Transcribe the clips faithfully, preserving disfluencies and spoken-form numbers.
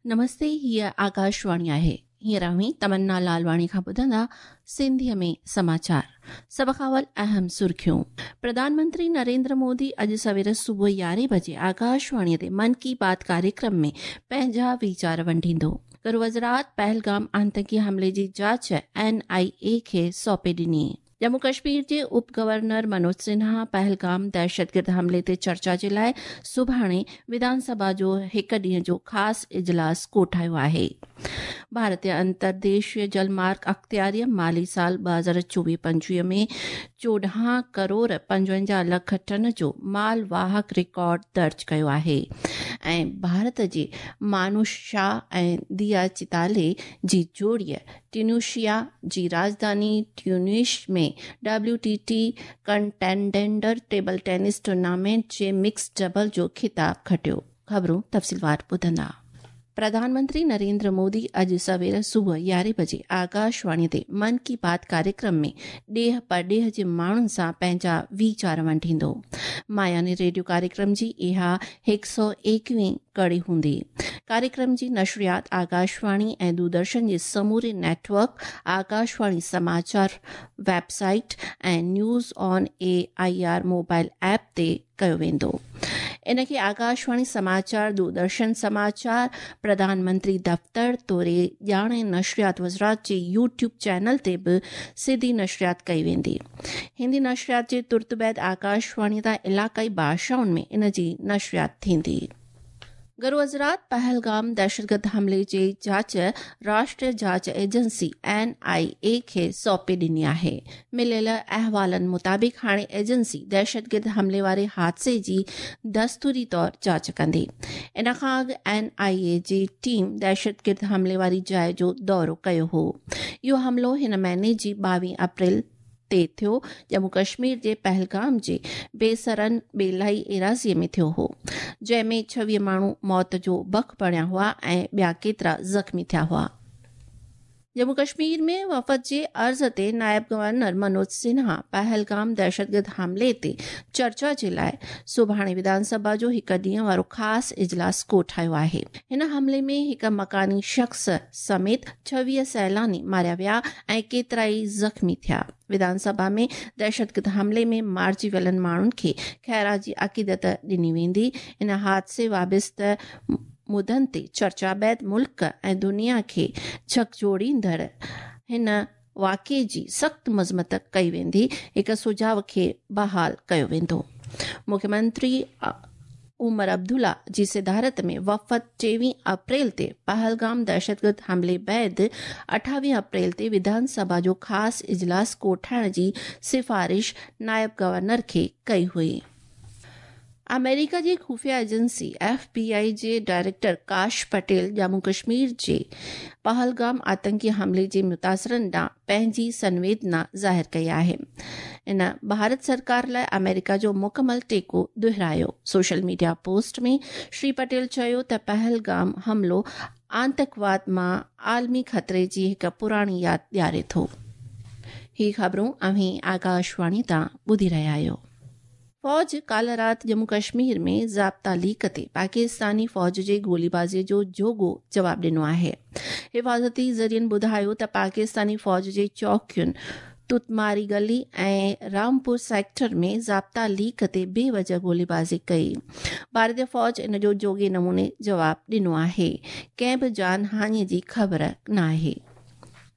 नमस्ते, हीअ आकाशवाणी आहे। हींअर अव्हीं तमन्ना लालवाणी खां ॿुधंदा सिंधीअ में समाचार। सभ खां अवल अहम सुर्खियूं। प्रधानमंत्री नरेंद्र मोदी अॼु सवेर सुबुह यारहें बजे आकाशवाणीअ ते मन की बात कार्यक्रम में पंहिंजा वीचार वंडींदो। गृह वज़ारत पहलगाम आतंकी हमले जी जांच एन आई ए खे सौंपे ॾिनी। जम्मू कश्मीर जे उप गवर्नर मनोज सिन्हा पहलगाम दहशतगर्द हमले ते चर्चा जे लाइ सुभाणे विधानसभा जो हिकु ॾींहं जो ख़ासि इजलास कोठायो आहे। भारतीय अंतर्देशीय जलमार्ग अख़्तियारीअ माली साल ॿ हज़ार चोवीह पंजवीह में चोॾहं करोड़ पंजवंजाह लख टन जो माल वाहक रिकॉर्ड दर्ज कयो आहे। ऐं भारत जे मानुष शाह ऐं दिया चिताले जी जोड़ीअ ट्यूनिशिया जी राजधानी Tunis में W T T contender table tennis tournament जे मिक्स डबल जो ख़िताब खटियो। ख़बरूं तफ़सीलवार ॿुधंदा। प्रधानमंत्री नरेंद्र मोदी अॼु सवेर सुबुह यारहें बजे आकाशवाणी ते मन की बात कार्यक्रम में ॾेह परॾेह जे माण्हुनि सां पंहिंजा वीचार वंडींदो। मायानी रेडियो कार्यक्रम जी इहा हिकु सौ एकवीह कड़ी हूंदी। कार्यक्रम जी नशरियात आकाशवाणी ऐं दूरदर्शन जे समूरे नेटवर्क, आकाशवाणी समाचार वेबसाइट ऐं news on A I R mobile app ते कयो वेंदो। इनखे आकाशवाणी समाचार, दूरदर्शन समाचार, प्रधानमंत्री दफ़्तर तोड़े ॼाण ऐं नशरियात वज़ारत जे यूट्यूब चैनल ते बि सिधी नशरियात कई वेंदी। हिंदी नशरियात जे तुर्त बाद आकाशवाणी तां इलाक़ाई भाषाउनि में इन जी नशरियात थींदी। गृह वज़ारत पहलगाम दहशतगर्द हमले जी जांच राष्ट्रीय जांच एजेंसी एन आई ए खे सौंपे ॾिनी आहे। मिलियल अहवालनि मुताबिक़ हाणे एजेंसी दहशतगर्द हमले वारे हादसे जी दस्तूरी तौर जांच कंदी। इन खां अॻु एन आई ए जी टीम दहशतगर्द हमले वारी जाइ जो दौरो कयो हो। इहो हमलो हिन महीने जी ॿावीह अप्रैल ते थियो, जम्मू कश्मीर जे पहलगाम जे बेसरन बेलाई एराज़ीअ में थियो हो, जंहिंमें छवीह माण्हू मौत जो बख बणिया हुआ ऐं ॿिया केतिरा ज़ख़्मी थिया हुआ। जम्मू कश्मीर में वफ़द जे अर्ज़ ते नायब गवर्नर मनोज सिन्हा पहलगाम दहशतगर्द हमले ते चर्चा जे लाइ सुभाणे विधानसभा जो हिकु ॾींहं वारो ख़ासि इजलास कोठायो आहे। हिन हमले में हिकु मकानी शख़्स समेत छवीह सैलानी मारिया विया ऐं केतिरा ई ज़ख़्मी थिया। विधानसभा में दहशतगर्द हमले में मारिजी वियलनि माण्हुनि खे ख़ैराजी अक़ीदत ॾिनी वेंदी। इन हादसे वाबिस्त मुदनि ते चर्चा बाद मुल्क ऐं दुनिया खे झकझोड़ींदड़ हिन वाक़िए जी सख़्तु मज़मत कई वेंदी। हिकु सुझाव खे बहाल कयो वेंदो। मुख्यमंत्री उमर अब्दुल्ला जी सदारत में वफ़द टेवीह अप्रैल ते पहलगाम दहशतगर्द हमले बाद अठावीह अप्रैल ते विधानसभा जो ख़ासि इजलास कोठाइण जी सिफारिश नायब गवर्नर खे कई हुई। अमेरिका जी खुफिया एजेंसी एफ बी I जे डायरेक्टर काश पटेल जम्मू कश्मीर जे पहलगाम आतंकी हमले जे मुतासिरनि ॾांहुं पंहिंजी संवेदना ज़ाहिर कई आहे। इन भारत सरकार लाइ अमेरिका जो मुकमल टेको दोहरायो। सोशल मीडिया पोस्ट में श्री पटेल चयो त पहलगाम हमलो आतंकवाद मां आलमी ख़तरे जी हिकु पुराणी यादि ॾियारे थो। ही ख़बरूं अव्हीं आकाशवाणी तां ॿुधी रहिया आहियो। फ़ौज काल्ह राति जम्मू कश्मीर में ज़ाब्ता लीक ते पाकिस्तानी फ़ौज जे गोलीबाज़ीअ जो जोॻो जवाबु ॾिनो आहे। हिफ़ाज़ती ज़रियनि ॿुधायो त पाकिस्तानी फ़ौज जे चौकियुनि तुतमारी गली ऐं रामपुर सेक्टर में ज़ाब्ता लीक ते बेवजह गोलीबाज़ी कई। भारतीय फ़ौज इन जो जोॻे नमूने जवाबु ॾिनो आहे। कंहिं बि जान हानि जी ख़बर न आहे।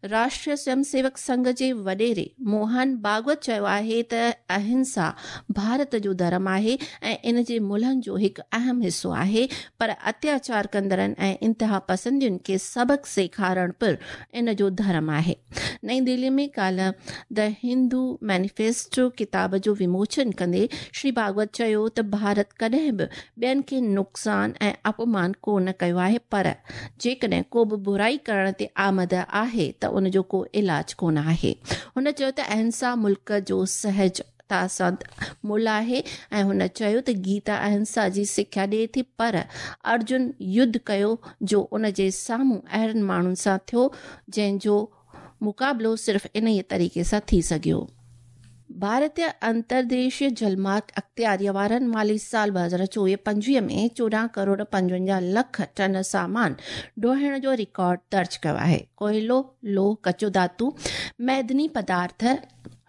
राष्ट्रीय स्वयंसेवक संघ जे वॾेरे मोहन भागवत चयो आहे त अहिंसा भारत जो धर्म आहे ऐं इन जे मुल्हनि जो हिकु अहम हिसो आहे, पर अत्याचार कंदड़नि ऐं इंतहा पसंदियुनि खे सबक़ सेखारणु पिणु इन जो धर्म आहे। नई दिल्ली में काल्ह the Hindu manifesto किताब जो विमोचन कंदे श्री भागवत चयो त भारत कॾहिं बि ॿियनि खे नुक़सानु ऐं अपमान कोन कयो आहे, पर जेकॾहिं को बि बुराई करण ते आमद आहे त उन जो को इलाज कोन आहे। हुन चयो त अहिंसा मुल्क जो सहज तासंद मुल आहे ऐं हुन चयो त गीता अहिंसा जी सिख्या ॾिए थी, पर अर्जुन युद्ध कयो जो उन जे साम्हूं अहिड़नि माण्हुनि सां थियो जंहिंजो मुक़ाबिलो सिर्फ़ इन ई तरीक़े सां थी सघियो। भारतीय अंतर्देशीय जलमार्ग अख़्तियारीअ वारनि माली साल ॿ हज़ार चोवीह पंजवीह में चोॾहं करोड़ पंजवंजाह लख टन सामान ढोइण जो रिकॉर्ड दर्ज कयो आहे। कोयलो, लोह, कचो धातु, मैदनी पदार्थ,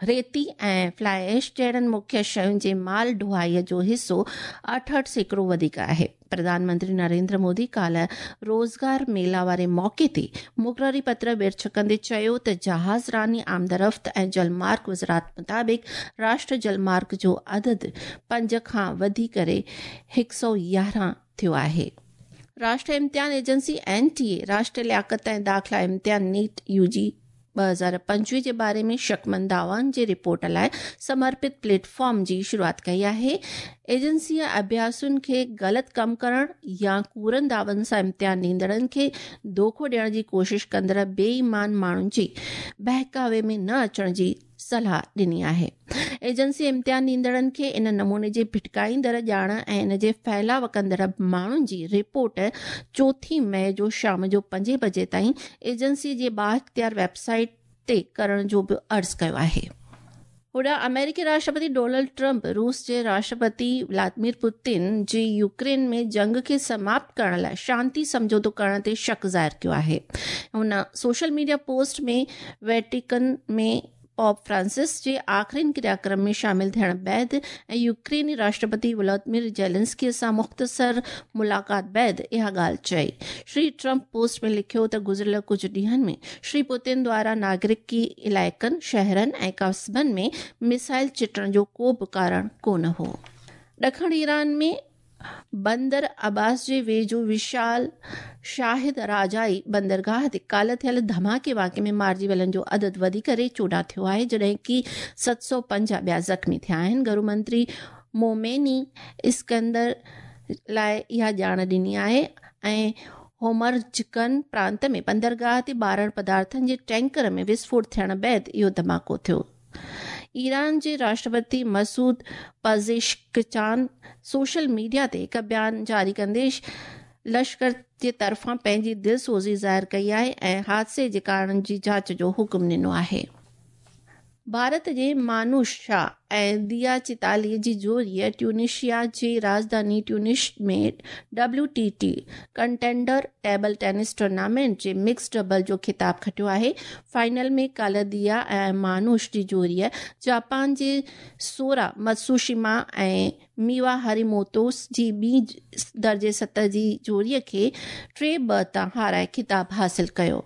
रेती ऐं फ्लाई ऐश जहिड़नि मुख्य शयुनि जे माल ढुआईअ जो हिसो अठहठि सैकड़ो वधीक आहे। प्रधानमंत्री नरेंद्र मोदी काल्ह रोज़गार मेला वारे मौक़े ते मुक़ररी पत्र विर्छ कंदे चयो त जहाज़ रानी आमदरफ़्त ऐं जलमार्ग वज़ारत मुताबिक़ राष्ट्र जलमार्ग जो अदद पंज खां वधी करे हिकु सौ यारहं थियो आहे। राष्ट्रीय इम्तिहान एजेंसी एन टी ए राष्ट्रीय लियाकत ऐं दाख़िला इम्तिहान नीट यू जी ॿ हज़ार पंजवीह जे बारे में शकमंद दावाउनि जे रिपोर्ट लाइ समर्पित प्लेटफॉर्म जी शुरूआत कई आहे। एजेंसीअ अभ्यासुनि खे ग़लति कमु करण या कूड़नि दावनि सां इम्तिहान ॾींदड़नि खे धोखो ॾियण जी कोशिश कंदड़ बेईमान माण्हुनि जी बहकावे में न अचण जी सलाह ॾिनी आहे। एजेंसी इम्तिहान ॾींदड़नि खे इन नमूने जे भिटकाईंदड़ ॼाण ऐं इन जे फैलाव कंदड़ माण्हुनि जी रिपोर्ट चोथीं मई जो शाम जो पंजे बजे ताईं एजेंसी जे बाअख़्तियार वेबसाइट ते करण जो बि अर्ज़ु कयो आहे। होॾां अमेरिकी राष्ट्रपति डोनाल्ड ट्रंप रूस जे राष्ट्रपति व्लादिमीर पुतिन जी यूक्रेन में जंग खे समाप्त करण लाइ शांति सम्झौतो करण ते शक ज़ाहिर कयो आहे। हुन social media post में वेटिकन में पॉप फ्रांसिस जे आख़िरीन क्रियाक्रम में शामिल थियण बाद ऐं यूक्रेनी राष्ट्रपति व्लादिमीर ज़ेलेंस्की सां मुख़्तसर मुलाक़ात बाद इहा ॻाल्हि चई। श्री ट्रंप पोस्ट में लिखियो त गुज़िरियल कुझु ॾींहंनि में श्री पुतिन द्वारा नागरिकी इलाइक़नि, शहरनि ऐं कस्बनि में मिसाइल चिटण जो को बि कारण कोन हो। ॾखण ईरान में बंदर अब्बास जे वेझो विशाल शाहिद राजाई बंदरगाह ते काल्ह थियल धमाके वाक़े में मारिजी वियलनि जो अदद वधी करे चोॾहं थियो आहे, जॾहिं की सत सौ पंजाह ॿिया ज़ख़्मी थिया आहिनि। घरू मंत्री मोमेनी इस्कंदर लाइ इहा ॼाण ॾिनी आहे ऐं होमरजकन प्रांत में बंदरगाह ते ॿारहं पदार्थनि जे टैंकर में विस्फोट थियण बाद इहो धमाको थियो। ईरान जे राष्ट्रपति मसूद पज़ेश्कियान सोशल मीडिया ते हिकु बयान जारी कंदे लश्कर जे तरफ़ां पंहिंजी दिलसोज़ी ज़ाहिर कई आहे ऐं हादसे जे कारणनि जी जांच जो हुकुम ॾिनो आहे। भारत जे मानुष शाह ऐं दिया चिताली जी जोड़ीअ ट्यूनिशिया जी राजधानी ट्यूनिश में W T T contender table tennis tournament जे मिक्स डबल जो ख़िताब खटियो आहे। फाइनल में काल्ह दिया ऐं मानुष जी जोड़ीअ जापान जे सोरा मत्सुशिमा ऐं मीवा हरिमोतो जी ॿी दर्जे सत जी जोड़ीअ खे टे ॿ तां हाराए ख़िताब हासिल कयो।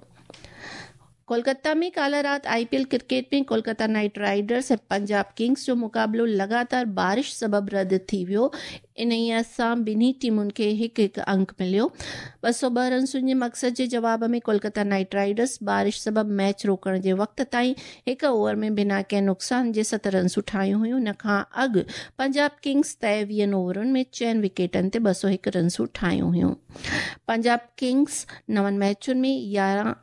कोलकाता में काल्ह राति I P L cricket में कोलकाता नाइट राइडर्स ऐं पंजाब किंग्स जो मुक़ाबिलो लगातार बारिश सबबि रद्द थी वियो। इन्हीअ सां ॿिन्ही टीमुनि खे हिकु हिकु अंक मिलियो। ॿ सौ ॿ रनसुनि जे मक़सद जे जवाब में कोलकाता नाइट राइडर्स बारिश सबबि मैच रोकण जे वक़्त ताईं हिकु ओवर में बिना कंहिं नुक़सान जे सत रनसूं ठाहियूं हुयूं। इन खां अॻु पंजाब किंग्स तय वीहनि ओवरनि में चइनि विकेटनि ते ॿ सौ हिकु रनसूं ठाहियूं हुयूं। पंजाब किंग्स नवनि मैचुनि में यारहं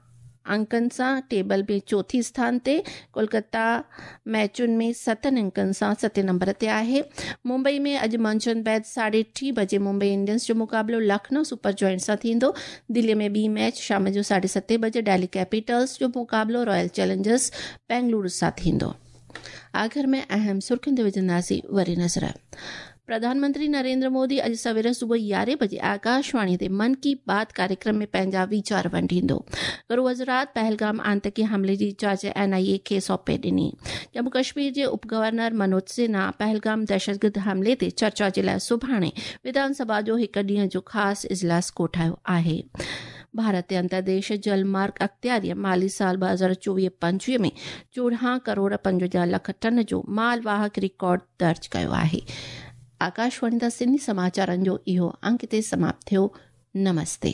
अंकनि सां टेबल में चोथी स्थान ते, कोलकाता मैचुनि में सतनि अंकनि सां सतें नंबर ते आहे। मुंबई में अॼु मंझंदि बाद साढे टी बजे मुंबई इंडियंस जो मुक़ाबिलो लखनऊ सुपर जॉइंट सां थींदो। दिल्लीअ में ॿी मैच शाम जो साढे सतें बजे दिल्ली कैपिटल्स जो मुक़ाबिलो रॉयल चैलेंजर्स बेंगलुरु सां थींदो। आख़िर में अहम सुर्खियुनि ते विझंदासीं वरी नज़र। प्रधानमंत्री नरेंद्र मोदी अॼु सवेर सुबुह यारहें बजे आकाशवाणी ते मन की बात कार्यक्रम में पंहिंजा वीचार वंडींदो। घरू वज़ारत पहलगाम आंतकी हमले जी जांच एन आई ए खे सौंपे ॾिनी। जम्मू कश्मीर जे उप गवर्नर मनोज सिन्हा पहलगाम दहशतगर्द हमले ते चर्चा जे लाइ सुभाणे विधानसभा जो हिकु ॾींहं जो ख़ासि इजलास कोठायो आहे। भारत अंतर्देश जलमार्ग अख़्तियारीअ माली साल ॿ हज़ार चोवीह पंजवीह में चोॾहं करोड़ पंजवंजाह लख टन जो मालवाहक रिकॉर्ड दर्ज कयो आहे। आकाशवाणी तां सिंधी समाचारनि जो इहो अंक हिते समाप्त थियो। नमस्ते।